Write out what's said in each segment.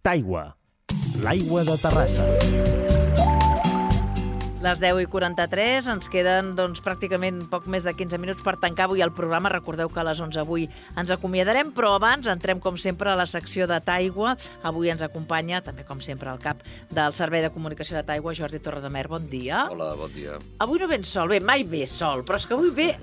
Taigua, l'aigua de Terrassa. Les 10:43, ens queden pràcticament poc més de 15 minuts per tancar avui el programa. Recordeu que a les 11 avui ens acomiadarem, però abans entrem, com sempre, a la secció de Taigua. Avui ens acompanya, també com sempre, el cap del Servei de Comunicació de Taigua, Jordi Torredemer. Bon dia. Hola, bon dia. Avui no vens sol, bé, mai ve sol, però és que avui ve,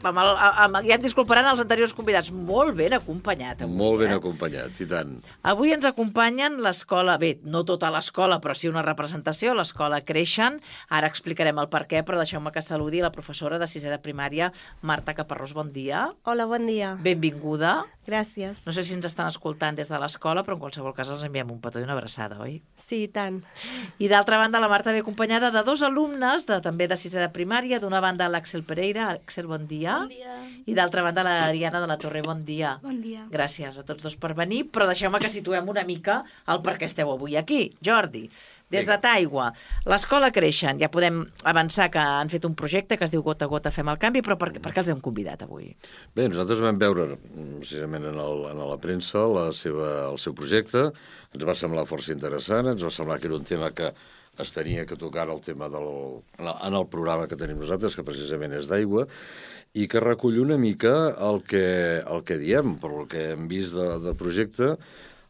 ja et disculparan els anteriors convidats, molt ben acompanyat. Avui, Molt ben acompanyat, i tant. Avui ens acompanyen l'escola, bé, no tota l'escola, però sí una representació, l'escola Creixen. Ara explicarem el per què, però deixeu-me que saludi la professora de sisè de primària, Marta Caparrós. Bon dia. Hola, bon dia. Benvinguda. Gràcies. No sé si ens estan escoltant des de l'escola, però en qualsevol cas els enviem un petó i una abraçada, oi? Sí, i tant. I d'altra banda, la Marta ve acompanyada de dos alumnes, també de sisè de primària. D'una banda, l'Àxel Pereira. Àxel, bon dia. Bon dia. I d'altra banda, l'Ariana de la Torre. Bon dia. Bon dia. Gràcies a tots dos per venir, però deixeu-me que situem una mica el per què esteu avui aquí. Jordi, des de Taigua, l'escola Creixen, ja podem avançar que han fet un projecte que es diu Gota a Gota fem el canvi, però per què els hem convidat avui? Bé, nosaltres vam veure, precisament en la premsa, el seu projecte. Ens va semblar força interessant, ens va semblar que era un tema que es tenia que tocar el tema en el programa que tenim nosaltres, que precisament és d'aigua, i que recull una mica el que diem, per el que hem vist de projecte,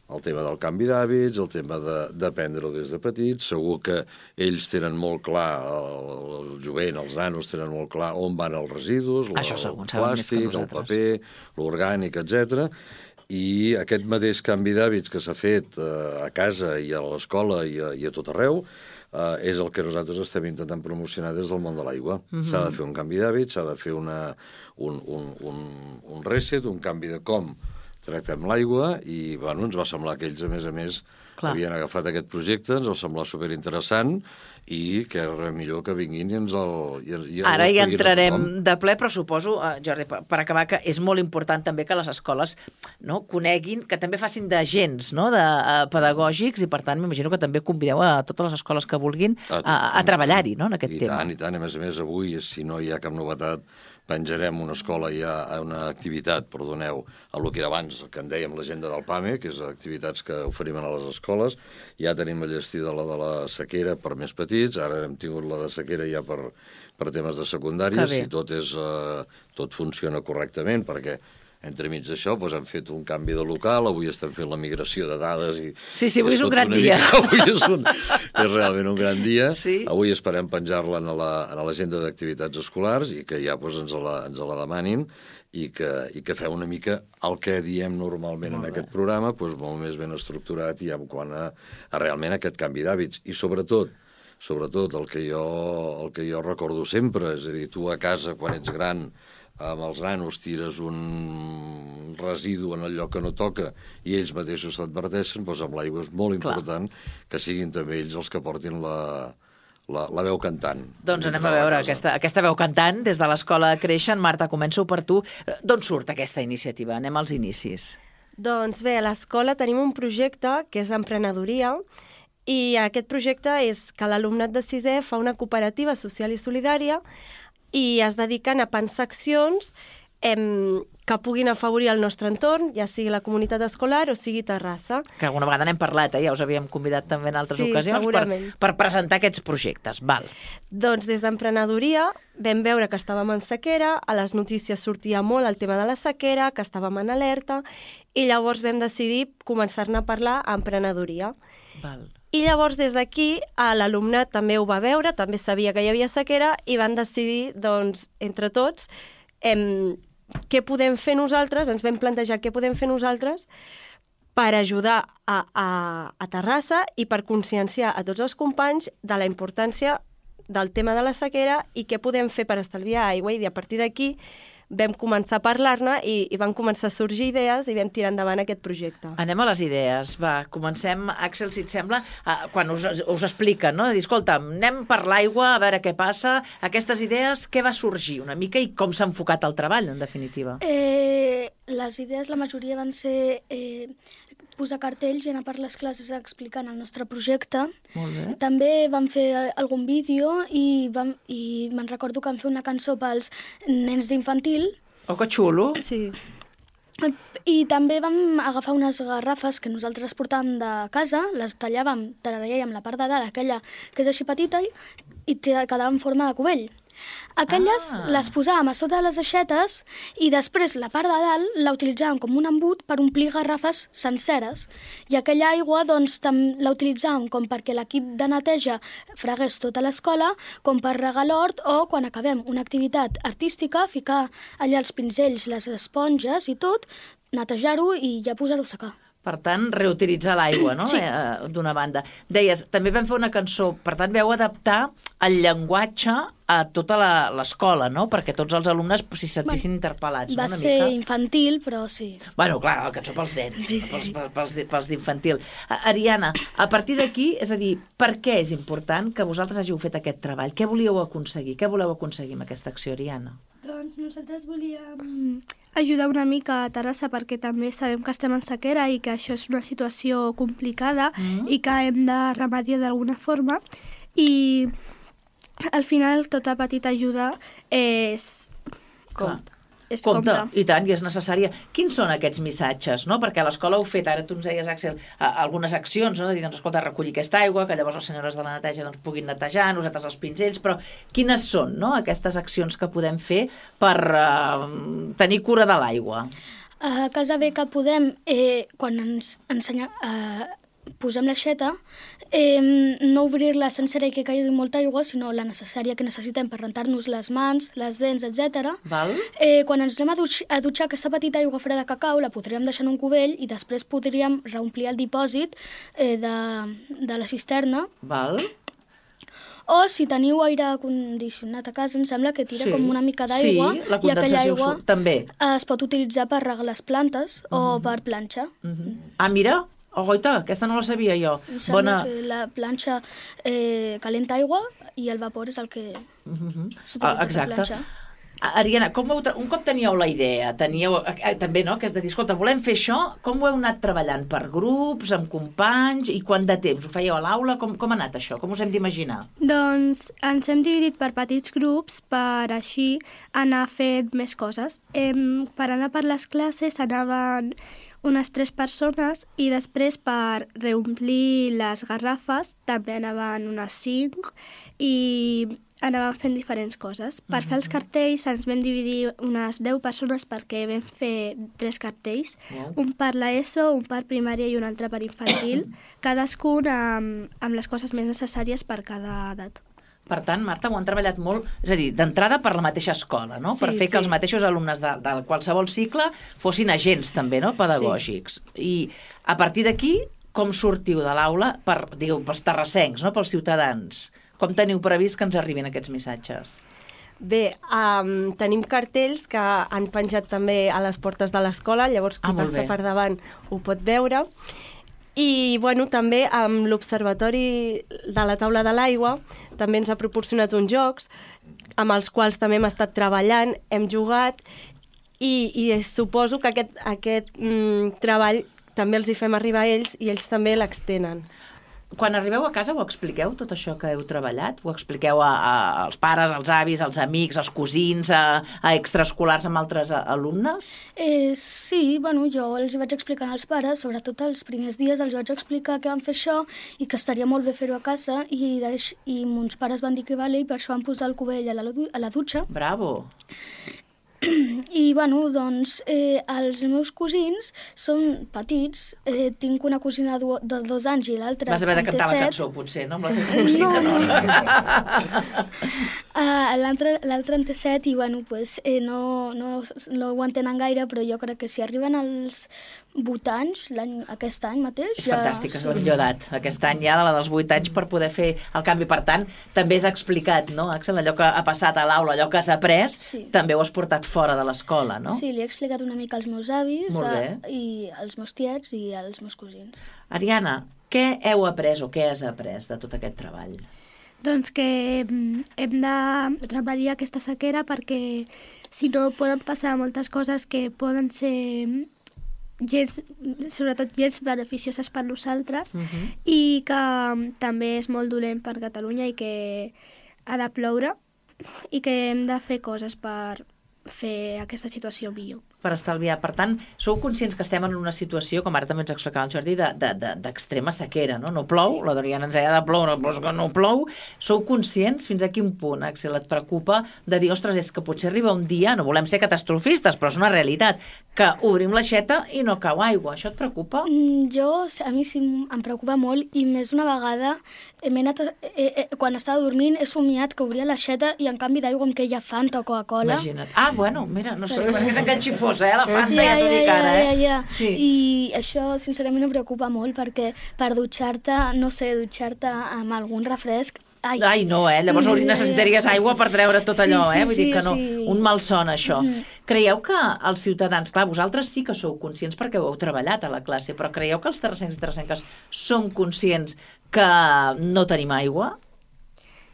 el tema del canvi d'hàbits, el tema d'aprendre-ho des de petits. Segur que ells tenen molt clar, el jovent, els nanos tenen molt clar on van els residus, el plàstic, el paper, l'orgànic, etc. I aquest mateix canvi d'hàbits que s'ha fet a casa i a l'escola i a tot arreu és el que nosaltres estem intentant promocionar des del món de l'aigua. S'ha de fer un canvi d'hàbits, s'ha de fer un reset, un canvi de com tractem l'aigua, i ens va semblar que ells, a més, havien agafat aquest projecte, ens va semblar superinteressant, i que era millor que vinguin i ens Ara hi entrarem de ple, però suposo, Jordi, per acabar, que és molt important també que les escoles coneguin, que també facin d'agents pedagògics, i per tant m'imagino que també convideu a totes les escoles que vulguin a treballar-hi en aquest tema. I tant, a més, avui, si no hi ha cap novetat, penjarem una escola, hi ha una activitat, perdoneu, el que era abans, que en dèiem l'agenda del PAME, que és activitats que oferim a les escoles. Ja tenim enllestida la de la sequera per més petits, ara hem tingut la de sequera ja per temes de secundàries, i tot funciona correctament, perquè entremig d'això hem fet un canvi de local, avui estem fent la migració de dades. Sí, avui és un gran dia. Avui és realment un gran dia. Avui esperem penjar-la a l'agenda d'activitats escolars i que ja ens la demanin i que feu una mica el que diem normalment en aquest programa, molt més ben estructurat i en quant a realment aquest canvi d'hàbits. I sobretot el que jo recordo sempre, és a dir, tu a casa, quan ets gran, amb els nanos tires un residu en el lloc que no toca i ells mateixos t'adverteixen, amb l'aigua és molt important que siguin també ells els que portin la veu cantant. Doncs anem a veure aquesta veu cantant des de l'escola Creixen. Marta, començo per tu. D'on surt aquesta iniciativa? Anem als inicis. Doncs bé, a l'escola tenim un projecte que és emprenedoria, i aquest projecte és que l'alumnat de sisè fa una cooperativa social i solidària i es dediquen a pensar accions que puguin afavorir el nostre entorn, ja sigui la comunitat escolar o sigui Terrassa. Que alguna vegada n'hem parlat, ja us havíem convidat també en altres ocasions per presentar aquests projectes. Doncs des d'emprenedoria vam veure que estàvem en sequera, a les notícies sortia molt el tema de la sequera, que estàvem en alerta, i llavors vam decidir començar-ne a parlar a emprenedoria. I llavors, des d'aquí, l'alumnat també ho va veure, també sabia que hi havia sequera, i van decidir, doncs, entre tots, què podem fer nosaltres, ens vam plantejar què podem fer nosaltres per ajudar a Terrassa i per conscienciar a tots els companys de la importància del tema de la sequera i què podem fer per estalviar aigua. I a partir d'aquí vam començar a parlar-ne i van començar a sorgir idees i vam tirar endavant aquest projecte. Anem a les idees. Comencem, Àxel, si et sembla, quan us expliquen, no? De dir, escolta, anem per l'aigua, a veure què passa. Aquestes idees, què va sorgir una mica i com s'ha enfocat el treball, en definitiva? Les idees, la majoria van ser posar cartells i anar per les classes explicant el nostre projecte. Molt bé. També vam fer algun vídeo i me'n recordo que vam fer una cançó pels nens d'infantil. Oh, que xulo! Sí. I també vam agafar unes garrafes que nosaltres portàvem de casa, les tallàvem la part de dalt, aquella que és així petita, i quedava en forma de cubell. Aquelles les posàvem a sota de les aixetes i després la part de dalt la utilitzàvem com un embut per omplir garrafes senceres. I aquella aigua doncs, la utilitzàvem com perquè l'equip de neteja fregués tota l'escola, com per regar l'hort o quan acabem una activitat artística, ficar allà els pinzells, les esponges i tot, netejar-ho i ja posar-ho a secar. Per tant, reutilitzar l'aigua, no? Sí. D'una banda. Deies, també vam fer una cançó, per tant, vau adaptar el llenguatge a tota l'escola, no? Perquè tots els alumnes s'hi sentissin interpel·lats, no? Va Una ser mica. infantil, però sí. Bueno, clar, la cançó pels nens, Sí. pels d'infantil. Ariana, a partir d'aquí, és a dir, per què és important que vosaltres hàgiu fet aquest treball? Què volíeu aconseguir? Què voleu aconseguir amb aquesta acció, Ariana? Doncs nosaltres volíem ajudar una mica a Terrassa perquè també sabem que estem en sequera i que això és una situació complicada i que hem de remediar d'alguna forma i al final tota petita ajuda és Compte. És Compte, i tant, i és necessària. Quins són aquests missatges, no? Perquè a l'escola heu fet, ara tu ens deies, Àxel, algunes accions, no? De dir, doncs, escolta, recollir aquesta aigua, que llavors les senyores de la neteja doncs, puguin netejar, nosaltres els pinzells, però quines són, no?, aquestes accions que podem fer per tenir cura de l'aigua? A casa bé que podem, quan ens posem l'aixeta, no obrir-la sencera i que caigui molta aigua, sinó la necessària que necessitem per rentar-nos les mans, les dents, etc. Val? Quan ens anem a dutxar aquesta petita aigua freda que cau, la podríem deixar en un cubell i després podríem reomplir el dipòsit de la cisterna. Val? O si teniu aire condicionat a casa, em sembla que tira com una mica d'aigua Sí, la i aquella condensació aigua també. es pot utilitzar per regar les plantes o per planxa. Ah, mira, oita, aquesta no la sabia jo. Em sembla que la planxa calenta aigua i el vapor és el que s'utilitza per Exacte. planxar. Ariana, un cop teníeu la idea, teníeu també, no?, que és de dir, escolta, volem fer això, com ho heu anat treballant? Per grups, amb companys, i quant de temps? Ho fèieu a l'aula? Com ha anat això? Com us hem d'imaginar? Doncs ens hem dividit per petits grups per així anar fent més coses. Per anar per les classes anaven unes 3 persones i després per reomplir les garrafes també anaven unes 5 i anàvem fent diferents coses. Per fer els cartells ens vam dividir unes 10 persones perquè vam fer 3 cartells, un per l'ESO, un per primària i un altre per infantil, cadascun amb les coses més necessàries per cada edat. Per tant, Marta, ho han treballat molt, és a dir, d'entrada per la mateixa escola, no? Per fer que els mateixos alumnes de qualsevol cicle fossin agents també, no?, pedagògics. I a partir d'aquí, com sortiu de l'aula pels terrassencs, no?, pels ciutadans? Com teniu previst que ens arribin aquests missatges? Bé, tenim cartells que han penjat també a les portes de l'escola, llavors qui passa per davant ho pot veure. I bueno, també amb l'Observatori de la Taula de l'Aigua també ens ha proporcionat uns jocs amb els quals també hem estat treballant, hem jugat i suposo que aquest treball també els hi fem arribar a ells i ells també l'extenen. Quan arribeu a casa ho expliqueu, tot això que heu treballat? Ho expliqueu als pares, als avis, als amics, als cosins, a extraescolars amb altres alumnes? Sí, bueno, jo els vaig explicant als pares, sobretot els primers dies els vaig explicar que vam fer això i que estaria molt bé fer-ho a casa i mons pares van dir que vale i per això van posar el cubell a la dutxa. Bravo! I, bueno, doncs, els meus cosins són petits. Tinc una cosina de 2 anys i l'altra Vas haver de cantar la cançó, potser, no? Amb la teva música, no? L'altre en té 7 i, bueno, pues, no ho entenen gaire, però jo crec que si arriben als 8 anys, aquest any mateix... És fantàstic, és la millor edat. Aquest any ja, de la dels 8 anys, per poder fer el canvi. Per tant, també és explicat, no, Àxel? Allò que ha passat a l'aula, allò que has après, també ho has portat fora de l'escola, no? Sí, li he explicat una mica als meus avis, i als meus tiets i als meus cosins. Ariana, què heu après o què has après de tot aquest treball? Doncs que hem de remediar aquesta sequera perquè si no poden passar moltes coses que poden ser sobretot gens beneficioses per nosaltres i que també és molt dolent per Catalunya i que ha de ploure i que hem de fer coses per fer aquesta situació millor. per estalviar. Per tant, sou conscients que estem en una situació, com ara també ens explicava el Jordi, d'extrema sequera, no? No plou, la Doriana ens deia de plou, no plou. Sou conscients fins a quin punt, Axel, et preocupa de dir, ostres, és que potser arriba un dia, no volem ser catastrofistes, però és una realitat, que obrim l'aixeta i no cau aigua. Això et preocupa? A mi sí em preocupa molt, i més una vegada quan estava dormint he somiat que obria l'aixeta i en canvi d'aigua em queia Fanta o Coca-Cola. Imagina't. Bueno, mira, no sé, és que s'enganxifosa, la Fanta, ja t'ho dic ara, Ja. Sí. I això, sincerament, em preocupa molt, perquè per dutxar-te, no sé, dutxar-te amb algun refresc... Ai, no, llavors necessitaries aigua per treure tot allò, Vull dir que no, un malson, això. Creieu que els ciutadans, clar, vosaltres sí que sou conscients perquè ho heu treballat a la classe, però creieu que els terrassencs i terrassenques som conscients que no tenim aigua?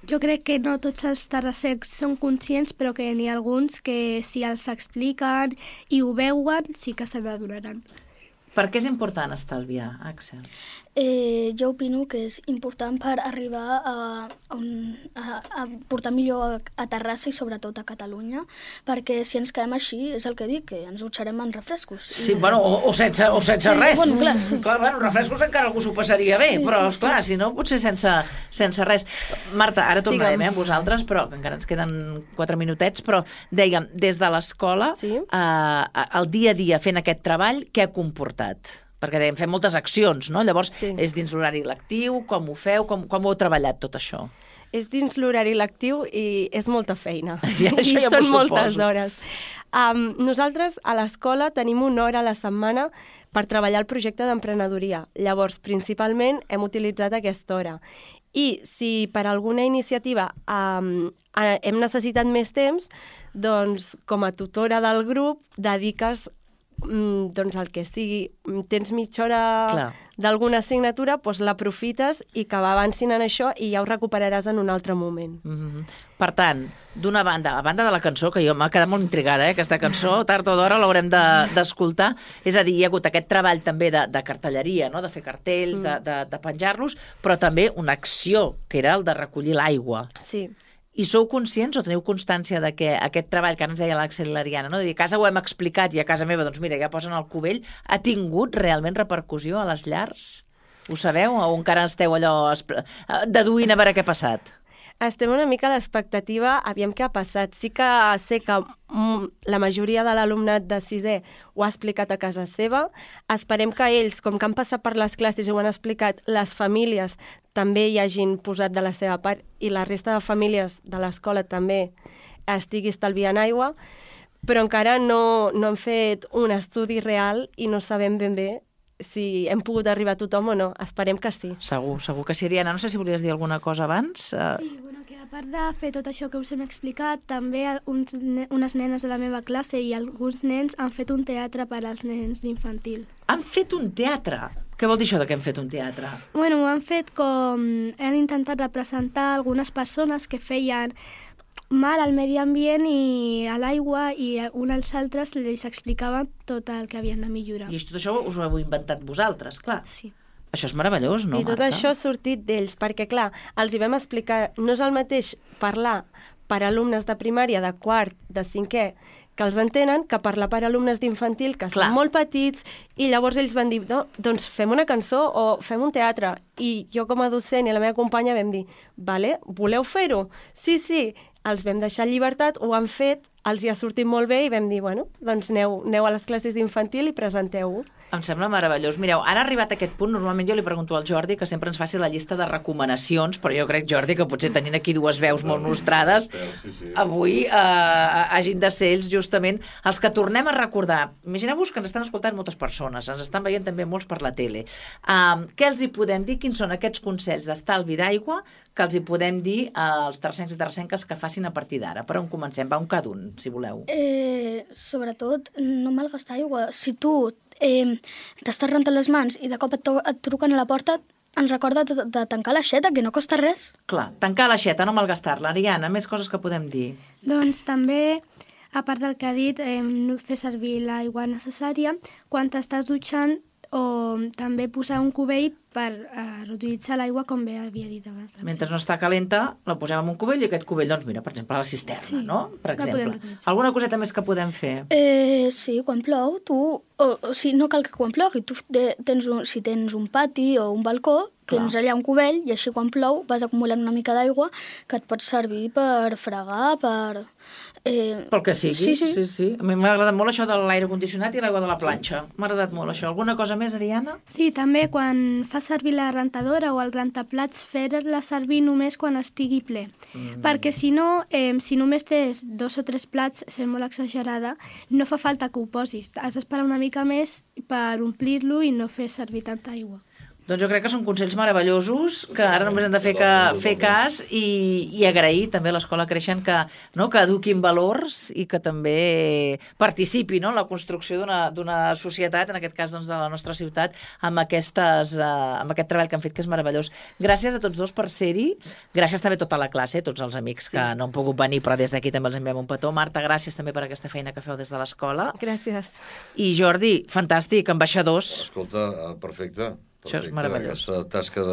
Jo crec que no tots els terrassencs són conscients, però que n'hi ha alguns que si els expliquen i ho veuen, sí que se n'adonaran. Per què és important estalviar, Axel? Jo opino que és important per arribar a portar millor a Terrassa i sobretot a Catalunya, perquè si ens quedem així, és el que dic, que ens dutxarem en refrescos. Sí, bueno, o sense res. Bueno, clar, sí. Clar, refrescos encara algú s'ho passaria bé, però, esclar, si no, potser sense res. Marta, ara tornarem a vosaltres, però encara ens queden 4 minutets, però dèiem, des de l'escola, el dia a dia fent aquest treball, què ha comportat? Perquè dèiem, fem moltes accions, no? Llavors, és dins l'horari lectiu, com ho feu, com ho heu treballat tot això? És dins l'horari lectiu i és molta feina. I són moltes hores. Nosaltres a l'escola tenim una hora a la setmana per treballar el projecte d'emprenedoria. Llavors, principalment, hem utilitzat aquesta hora. I si per alguna iniciativa hem necessitat més temps, doncs com a tutora del grup dediques doncs el que sigui, tens mitja hora d'alguna assignatura, doncs l'aprofites i que avancin en això i ja ho recuperaràs en un altre moment. Per tant, d'una banda, a banda de la cançó, que jo m'ha quedat molt intrigada, aquesta cançó, tard o d'hora l'haurem d'escoltar, és a dir, hi ha hagut aquest treball també de cartelleria, no? De fer cartells, de penjar-los, però també una acció, que era el de recollir l'aigua. Sí. I sou conscients o teniu constància de que aquest treball que ara ens deia l'Axel i l'Ariana, no? De dir, a casa ho hem explicat i a casa meva, doncs mira, ja posen el cubell, ha tingut realment repercussió a les llars? Ho sabeu? O encara esteu allò deduint a veure què ha passat? Estem una mica a l'expectativa, aviam què ha passat. Sí que sé que la majoria de l'alumnat de 6è ho ha explicat a casa seva. Esperem que ells, com que han passat per les classes i ho han explicat, les famílies també hi hagin posat de la seva part i la resta de famílies de l'escola també estigui estalviant aigua, però encara no han fet un estudi real i no sabem ben bé si hem pogut arribar a tothom o no. Esperem que sí. Segur que sí. Ariana, no sé si volies dir alguna cosa abans. Sí, bueno, que a part de fer tot això que us hem explicat, també unes nenes de la meva classe i alguns nens han fet un teatre per als nens d'infantil. Han fet un teatre? Què vol dir això de que hem fet un teatre? Bueno, han fet com... Han intentat representar algunes persones que feien mal al medi ambient i a l'aigua i uns als altres els explicaven tot el que havien de millorar. I tot això us ho heu inventat vosaltres, clar. Sí. Això és meravellós, no, I tot Marta? això ha sortit d'ells, perquè, clar, els hi vam explicar, no és el mateix parlar per alumnes de primària, de quart, de 5è, que els entenen, que parlar per alumnes d'infantil, que són molt petits, i llavors ells van dir, no, doncs fem una cançó o fem un teatre. I jo com a docent i la meva companya vam dir, vale, voleu fer-ho? Sí, els vam deixar llibertat, ho han fet, els hi ha sortit molt bé i vam dir, bueno, doncs aneu a les classes d'infantil i presenteu-ho. Em sembla meravellós. Mireu, ara ha arribat aquest punt, normalment jo li pregunto al Jordi que sempre ens faci la llista de recomanacions, però jo crec, Jordi, que potser tenint aquí dues veus molt nostrades, avui hagin de ser ells justament els que tornem a recordar. Imagineu-vos que ens estan escoltant moltes persones, ens estan veient també molts per la tele. Què els hi podem dir? Quins són aquests consells d'estalvi d'aigua que els hi podem dir als terrassencs i terrassenques que facin a partir d'ara? Per on comencem? Va, un cada un, si voleu. Sobretot, no malgastar aigua. Si tu t'estàs rentant les mans i de cop et truquen a la porta, ens recorda de tancar l'aixeta, que no costa res. Clar, tancar l'aixeta, no malgastar-la. Ariana, més coses que podem dir. Doncs també, a part del que ha dit, fer servir l'aigua necessària quan t'estàs dutxant o també posar un cubell per reutilitzar l'aigua, com bé havia dit abans. Mentre no està calenta, la posem en un cubell i aquest cubell, doncs mira, per exemple, a la cisterna, Sí, no? Per la podem exemple. reutilitzar. Alguna coseta més que podem fer? Sí, quan plou, tu... O sigui, no cal que quan plogui, tu si tens un pati o un balcó, tens allà un cubell i així quan plou vas acumulant una mica d'aigua que et pot servir per fregar, per... Pel que sigui. Sí. A mi m'ha agradat molt això de l'aire condicionat i l'aigua de la planxa. M'ha agradat molt això. Alguna cosa més, Ariana? Sí, també quan fa servir la rentadora o el rentaplats, fer-la servir només quan estigui ple. Perquè si no, si només tens 2 o 3 plats, sent molt exagerada, no fa falta que ho posis. Has d'esperar una mica més per omplir-lo i no fer servir tanta aigua. Doncs jo crec que són consells meravellosos que ara només hem de fer cas i agrair també a l'Escola Creixen que eduquin valors i que també participi en la construcció d'una societat, en aquest cas doncs, de la nostra ciutat, amb aquest treball que han fet, que és meravellós. Gràcies a tots dos per ser-hi. Gràcies també a tota la classe, tots els amics que no han pogut venir, però des d'aquí també els enviem un petó. Marta, gràcies també per aquesta feina que feu des de l'escola. Gràcies. I Jordi, fantàstic, ambaixadors. Escolta, perfecte. Això és meravellós. Aquesta tasca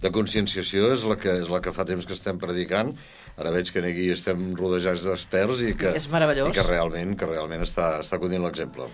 de conscienciació és la que fa temps que estem predicant. Ara veig que aquí estem rodejats d'experts i que És meravellós. I que realment està continuant l'exemple.